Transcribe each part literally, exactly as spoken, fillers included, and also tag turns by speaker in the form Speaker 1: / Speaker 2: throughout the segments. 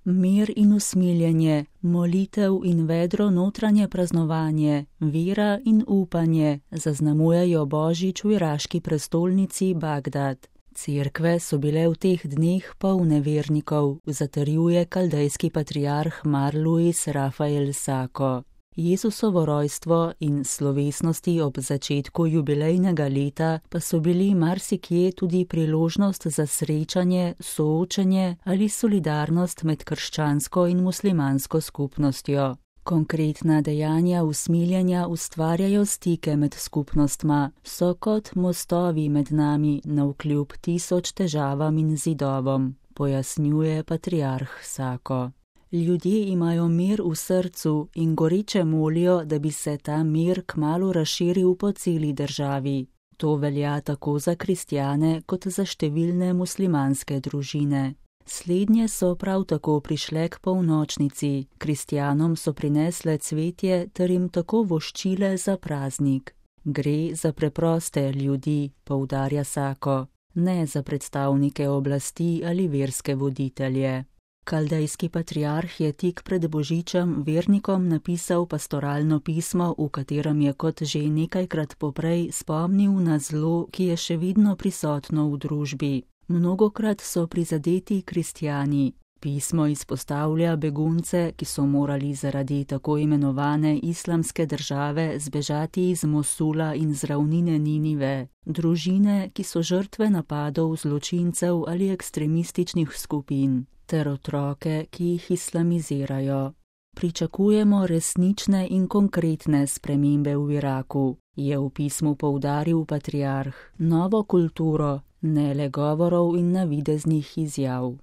Speaker 1: Mir in usmiljenje, molitev in vedro notranje praznovanje, vera in upanje zaznamujejo božič v iraški prestolnici Bagdad. Cerkve so bile v teh dneh polne vernikov, zatrjuje kaldejski patriarh Mar Luis Rafael Sako. Jezusovo rojstvo in slovesnosti ob začetku jubilejnega leta pa so bili marsikje tudi priložnost za srečanje, soočenje ali solidarnost med krščansko in muslimansko skupnostjo. Konkretna dejanja usmiljenja ustvarjajo stike med skupnostma, so kot mostovi med nami navkljub tisoč težavam in zidovom, pojasnjuje patriarh Sako. Ljudje imajo mir v srcu in goreče molijo, da bi se ta mir kmalu razširil po celi državi. To velja tako za kristjane kot za številne muslimanske družine. Slednje so prav tako prišle k polnočnici, kristjanom so prinesle cvetje ter jim tako voščile za praznik. Gre za preproste ljudi, poudarja Sako, ne za predstavnike oblasti ali verske voditelje. Kaldejski patriarh je tik pred božičem vernikom napisal pastoralno pismo, v katerem je kot že nekajkrat poprej spomnil na zlo, ki je še vedno prisotno v družbi. Mnogokrat so prizadeti kristjani. Pismo izpostavlja begunce, ki so morali zaradi tako imenovane islamske države zbežati iz Mosula in z ravnine Ninive, družine, ki so žrtve napadov zločincev ali ekstremističnih skupin, ter otroke, ki jih islamizirajo. Pričakujemo resnične in konkretne spremembe v Iraku, je v pismu poudaril patriarh, novo kulturo, ne le govorov in navideznih izjav.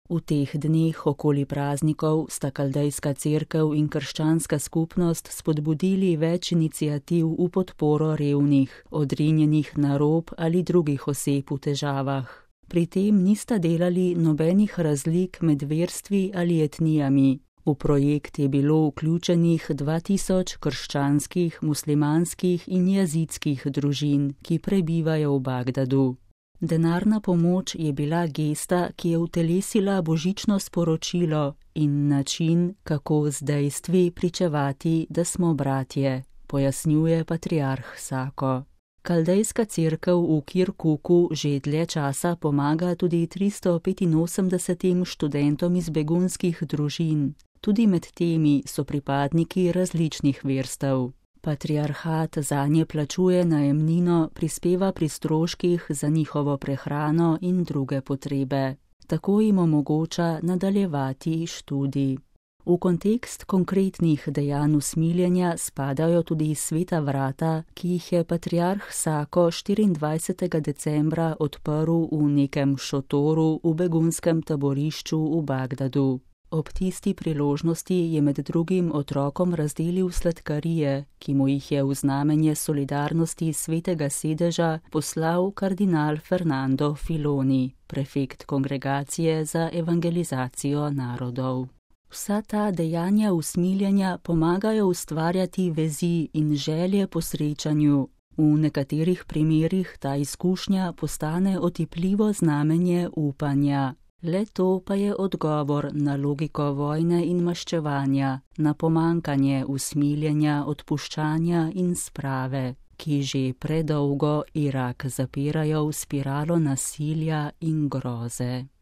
Speaker 1: V teh dneh okoli praznikov sta kaldejska cerkev in krščanska skupnost spodbudili več iniciativ v podporo revnih, odrinjenih na rob ali drugih oseb v težavah. Pri tem nista delali nobenih razlik med verstvi ali etnijami. V projekt je bilo vključenih dva tisoč krščanskih, muslimanskih in jazidskih družin, ki prebivajo v Bagdadu. Denarna pomoč je bila gesta, ki je utelesila božično sporočilo in način, kako z dejstvi pričevati, da smo bratje, pojasnjuje patriarh Sako. Kaldejska cerkev v Kirkuku že dlje časa pomaga tudi tristo petinosemdesetim študentom iz begunskih družin. Tudi med temi so pripadniki različnih verstev. Patriarhat zanje plačuje najemnino, prispeva pri stroških za njihovo prehrano in druge potrebe. Tako jim omogoča nadaljevati študij. V kontekst konkretnih dejanj usmiljenja spadajo tudi sveta vrata, ki jih je patriarh Sako štiriindvajsetega decembra odprl v nekem šotoru v begunskem taborišču v Bagdadu. Ob tisti priložnosti je med drugim otrokom razdelil sladkarije, ki mu jih je v znamenje solidarnosti svetega sedeža poslal kardinal Fernando Filoni, prefekt kongregacije za evangelizacijo narodov. Vsa ta dejanja usmiljenja pomagajo ustvarjati vezi in želje po srečanju. V nekaterih primerih ta izkušnja postane otipljivo znamenje upanja. Le to pa je odgovor na logiko vojne in maščevanja, na pomankanje usmiljenja, odpuščanja in sprave, ki že predolgo Irak zapirajo v spiralo nasilja in groze.